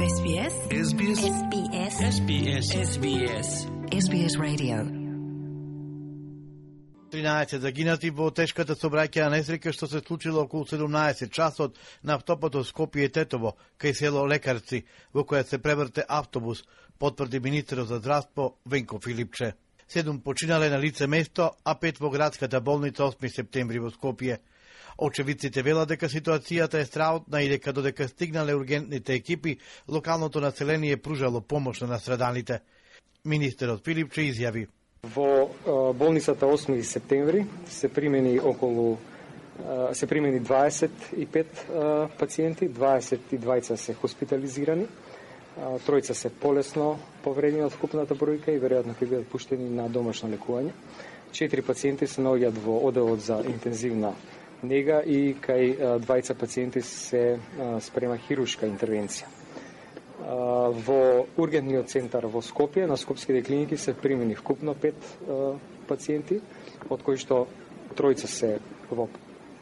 SBS SBS SBS SBS SBS SBS Radio. 13 загинати во тешката сообраќајна несреќа што се случила околу 17 часот на автопатот Скопје-Тетово кај село Лекарци, во која се преврте автобус, потврди министерот за здравство Венко Филипче. 7 починале на лице место, а 5 во градската болница 8 септември во Скопје. Очевидците велат дека ситуацијата е страутна и дека додека стигнале ургентните екипи, локалното население пружало помош на настраданите. Министерот Филипче изјави: Во болницата 8 септември се примени 25 пациенти, 22 се хоспитализирани, тројца се полесно повредени од вкупната бројка и веројатно ќе бидат пуштени на домашно лекување. 4 пациенти се наоѓаат во одделот за интензивна нега и кај 20 пациенти се спрема хируршка интервенција. Во ургентниот центар во Скопје, на скопските клиники се примени вкупно 5 пациенти, од кои што тројца се во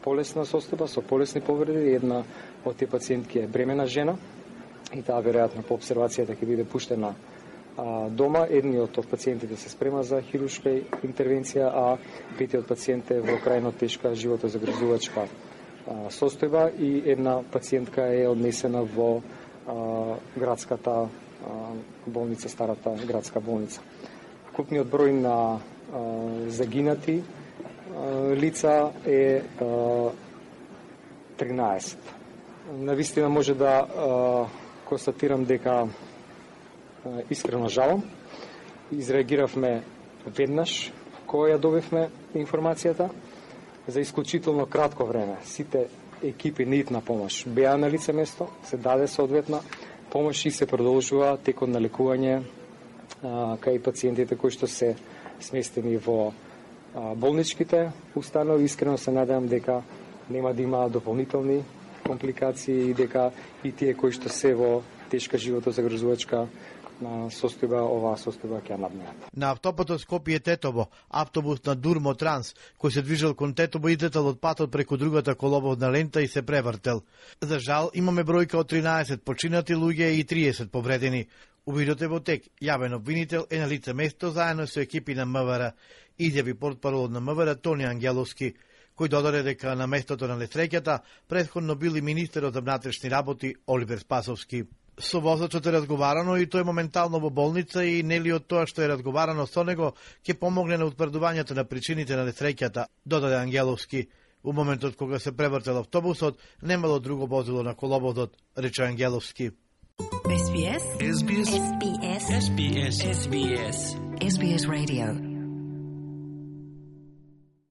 полесна состојба, со полесни повреди, една од тие пациентки е бремена жена и таа веројатно по обсервацијата ќе биде пуштена дома. Едниот од пациентите се спрема за хируршка интервенција, а петиот пациент е во крајно тешка животозагрозувачка состојба и една пациентка е однесена во градската болница, старата градска болница. Купниот број на загинати лица е 13. Навистина може да констатирам дека искрено жалам. Изреагиравме веднаш кога ја добивме информацијата. За исклучително кратко време сите екипи на итна помош беа на лице место, се даде соодветна помош и се продолжува текот на лекување кај пациентите кои што се сместени во болничките установи. Искрено се надевам дека нема да има дополнителни компликации и дека и тие кои што се во тешка животозагрозувачка состојба, оваа состојба ќе надминат. На автопатот Скопје-Тетово, автобус на Дурмо Транс, кој се движел кон Тетово, излетал од патот преку другата коловодна лента и се превртел. За жал, имаме бројка од 13 починати луѓе и 30 повредени. Увидот е во тек. Јавен обвинител е на лице место заедно со екипи на МВР, изјави портпаролот на МВР Тони Ангеловски, кој додаде дека на местото на несреќата претходно бил и министерот за внатрешни работи Оливер Спасовски. Со возачот е разговарано и тој моментално во болница и нели од тоа што е разговарано со него ќе помогне на утврдувањето на причините на несреќата, додаде Ангеловски. У моментот кога се превртел автобусот, немало друго возило на коловодот, рече Ангеловски. SBS SBS SBS SBS SBS Radio.